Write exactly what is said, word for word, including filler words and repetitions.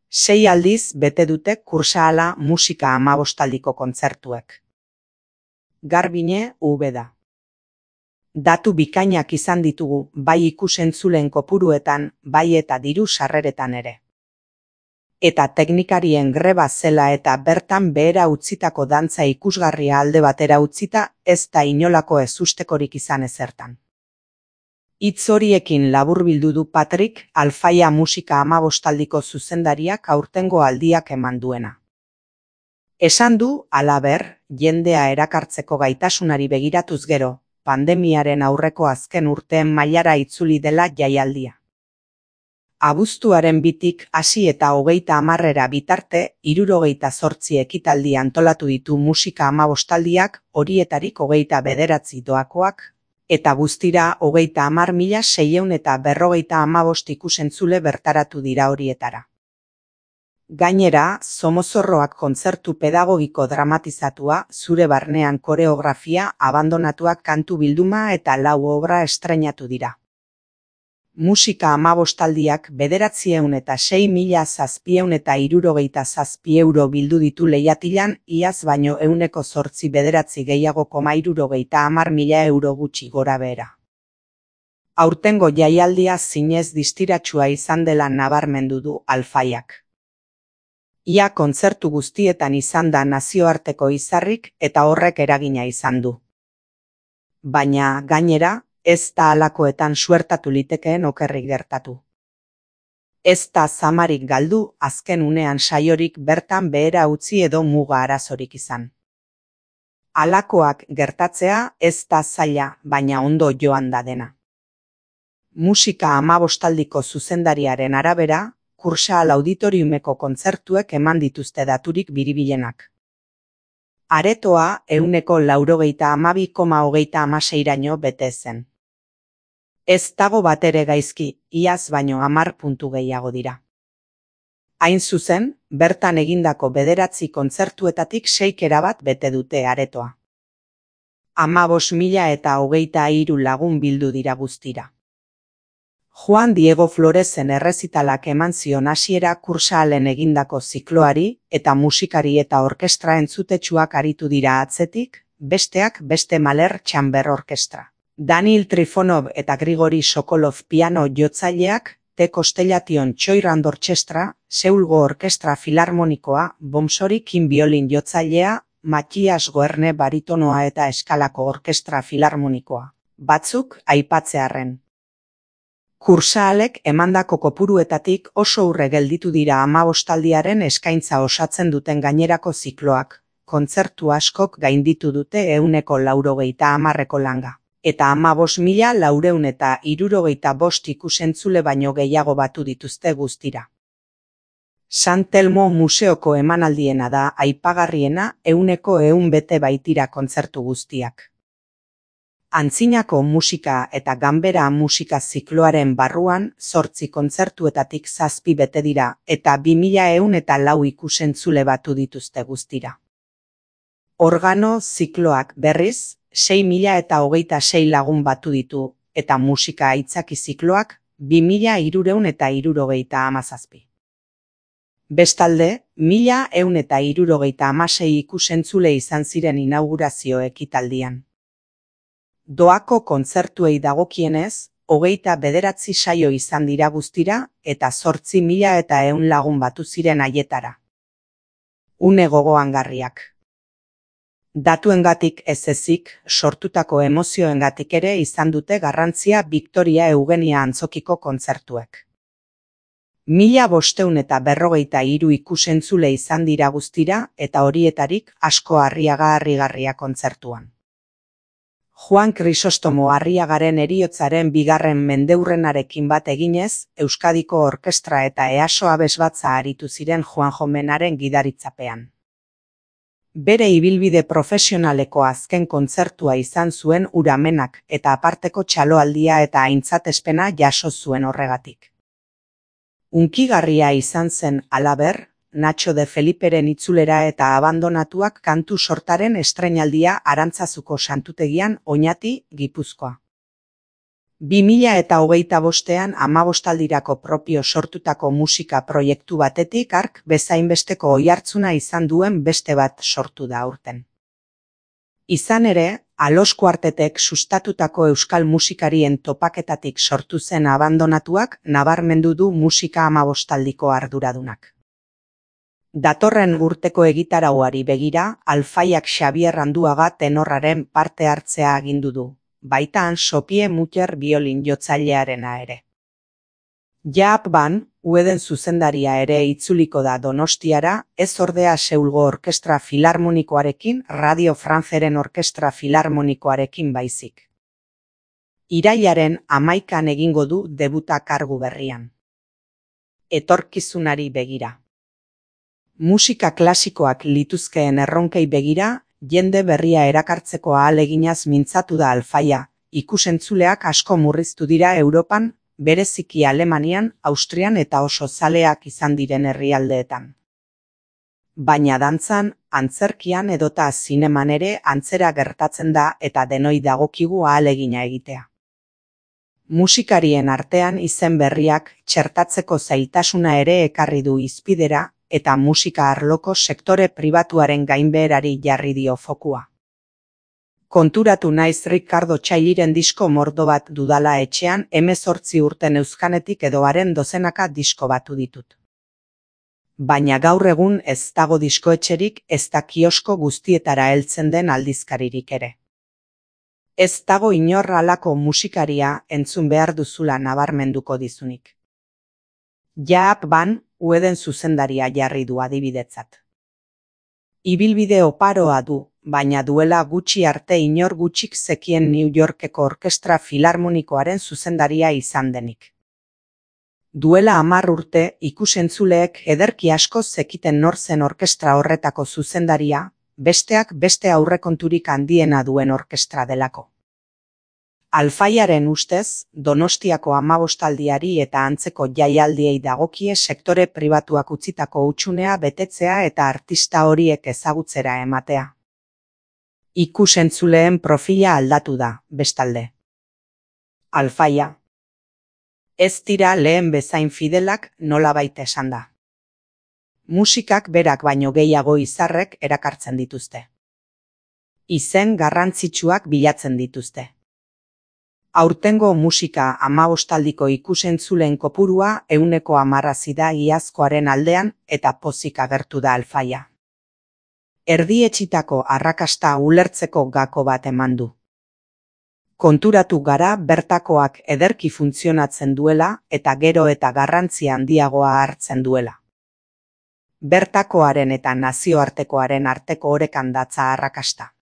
Sei aldiz bete dute Kursaala musika hamabostaldiko kontzertuek. Garbine Ubeda. Datu bikainak izan ditugu bai ikus-entzuleen kopuruetan, bai eta diru sarreretan ere. Eta teknikarien greba zela eta bertan behera utzitako dantza ikusgarria alde batera utzita ez da inolako ezustekorik izan ezertan. Hitz horiekin laburbildu du Patrick Alfaia musika hamabostaldiko zuzendariak aurtengo aldiak eman duena. Esan du, halaber, jendea erakartzeko gaitasunari begiratuz gero, pandemiaren aurreko azken urteen mailara itzuli dela jaialdia. Abuztuaren bitik hasi eta hogeita hamarrera bitarte, hirurogeita zortzi ekitaldi antolatu ditu musika hamabostaldiak, horietarik hogeita bederatzi doakoak, eta guztira hogeita hamar mila seiehun eta berrogeita hamabost ikusentzule bertaratu dira horietara. Gainera, Somozorroak kontzertu pedagogiko dramatizatua, zure barnean koreografia, abandonatuak kantu bilduma eta lau obra estreinatu dira. Musika hamabostaldiak bederatziehun eta sei mila zazpiehun eta hirurogeita zazpi euro bildu ditu lehiatilan, iaz baino ehuneko zortzi bederatzi gehiago koma hirurogeita hamar mila euro gutxi gora behera. Aurtengo jaialdia zinez distiratsua izan dela nabarmendu du Alfaiak. Ia kontzertu guztietan izan da nazioarteko izarrik eta horrek eragina izan du. Baina, gainera, ez da halakoetan suertatu litekeen okerrik gertatu. Ez da zamarik galdu, azken unean saiorik bertan behera utzi edo muga arazorik izan. Halakoak gertatzea ez da zaila, baina ondo joan da dena. Musika hamabostaldiko zuzendariaren arabera, Kursaal auditoriumeko kontzertuek eman dituzte daturik biribilenak. Aretoa ehuneko laurogeita hamabi koma hogeita hamaseiraino bete zen. Ez dago batere gaizki, iaz baino hamar puntu gehiago dira. Hain zuzen, bertan egindako bederatzi kontzertuetatik seik erabat bete dute aretoa. Hamabost mila eta hogeita hiru lagun bildu dira guztira. Juan Diego Floresen errezitalak eman zion hasiera Kursaalen egindako zikloari eta musikari eta orkestra entzutetsuak aritu dira atzetik, besteak beste Mahler Chamber Orkestra. Daniil Trifonov eta Grigori Sokolov piano jotzaileak, T. Constellation Choirand Orchestra, Seulgo Orkestra Filarmonikoa, Bomsori Kim biolin jotzailea, Mathias Goerne baritonoa eta Eskalako Orkestra Filarmonikoa. Batzuk aipatzearren. Kursaalek emandako kopuruetatik oso urre gelditu dira hamabostaldiaren eskaintza osatzen duten gainerako zikloak, kontzertu askok gainditu dute ehuneko laurogeita hamarreko langa, eta hamabost mila laurehun eta hirurogeita bost ikusentzule baino gehiago batu dituzte guztira. San Telmo museoko emanaldiena da aipagarriena ehuneko ehun bete baitira kontzertu guztiak. Antzinako musika eta ganbera musika zikloaren barruan zortzi kontzertuetatik zazpi bete dira eta bi mila ehun eta lau ikusentzule batu dituzte guztira. Organo zikloak berriz, sei mila eta hogeita sei lagun batu ditu eta musika aitzaki zikloak bi mila hirurehun eta hirurogeita hamazazpi. Bestalde, mila ehun eta hirurogeita hamasei ikusentzule izan ziren inaugurazio ekitaldian. Doako kontzertuei dagokienez, hogeita bederatzi saio izan dira guztira eta zortzi mila eta ehun lagun batu ziren haietara. Une gogoangarriak. Datuengatik ez ezik, sortutako emozioengatik ere izan dute garrantzia Victoria Eugenia antzokiko kontzertuek. Mila bostehun eta berrogeita hiru ikusentzule izan dira guztira eta horietarik asko Arriaga Harrigarria kontzertuan. Juan Krisostomo Arriagaren heriotzaren bigarren mendeurrenarekin bat eginez, Euskadiko Orkestra eta Easo abesbatza aritu ziren Juanjo Menaren gidaritzapean. Bere ibilbide profesionaleko azken kontzertua izan zuen Uramenak eta aparteko txaloaldia eta aintzatespena jaso zuen horregatik. Unkigarria izan zen, halaber, Nacho de Feliperen itzulera eta abandonatuak kantu sortaren estreinaldia Arantzazuko santutegian Oñati, Gipuzkoa. bi mila eta hogeita bostean hamabostaldirako propio sortutako musika proiektu batetik hark bezainbesteko oihartzuna izan duen beste bat sortu da aurten. Izan ere, Alos Kuartetek sustatutako euskal musikarien topaketatik sortu zen abandonatuak nabarmendu du musika hamabostaldiko arduradunak. Datorren urteko egitarauari begira, Alfaiak Xabier Anduaga tenorraren parte hartzea agindu du, baitan Sopie Muller biolin jotzailearena ere. Jaap Ban, Ueden zuzendaria ere itzuliko da Donostiara, ez ordea Seulgo Orkestra Filarmonikoarekin, Radio Franceren Orkestra Filarmonikoarekin baizik. Irailaren hamaikan egingo du debuta kargu berrian. Etorkizunari begira. Musika klasikoak lituzkeen erronkei begira, jende berria erakartzeko ahaleginaz mintzatu da Alfaia, ikusentzuleak asko murriztu dira Europan, bereziki Alemanian, Austrian eta oso zaleak izan diren herrialdeetan. Baina dantzan, antzerkian edota zineman ere antzera gertatzen da eta denoi dagokigu ahalegina egitea. Musikarien artean izen berriak txertatzeko zailtasuna ere ekarri du hizpidera, eta musika arloko sektore pribatuaren gainbeherari jarri dio fokua. Konturatu naiz Ricardo Txailiren disko mordo bat dudala etxean hemezortzi urten euzkanetik edo haren dozenaka disko batu ditut. Baina gaur egun ez dago diskoetxerik, ez da kiosko guztietara heltzen den aldizkaririk ere. Ez dago inor halako musikaria entzun behar duzula nabarmenduko dizunik. Jaap Ban, Ueden zuzendaria jarri du adibidetzat. Ibilbide oparoa du, baina duela gutxi arte inor gutxik zekien New Yorkeko Orkestra Filarmonikoaren zuzendaria izan denik. Duela hamar urte ikusentzuleek ederki asko zekiten nor zen orkestra horretako zuzendaria, besteak beste aurrekonturik handiena duen orkestra delako. Alfaiaren ustez, Donostiako hamabostaldiari eta antzeko jaialdiei dagokie sektore pribatuak utzitako hutsunea betetzea eta artista horiek ezagutzera ematea. Ikusentzuleen profila aldatu da, bestalde. Alfaia. Ez dira lehen bezain fidelak nolabait esan da. Musikak berak baino gehiago izarrek erakartzen dituzte. Izen garrantzitsuak bilatzen dituzte. Aurtengo musika hamabostaldiko ikusentzuleen kopurua ehuneko hamarrazi da iazkoaren aldean eta pozik agertu da Alfaia. Erdietsitako arrakasta ulertzeko gako bat eman du. Konturatu gara bertakoak ederki funtzionatzen duela eta gero eta garrantzia handiagoa hartzen duela. Bertakoaren eta nazioartekoaren arteko orekan datza arrakasta.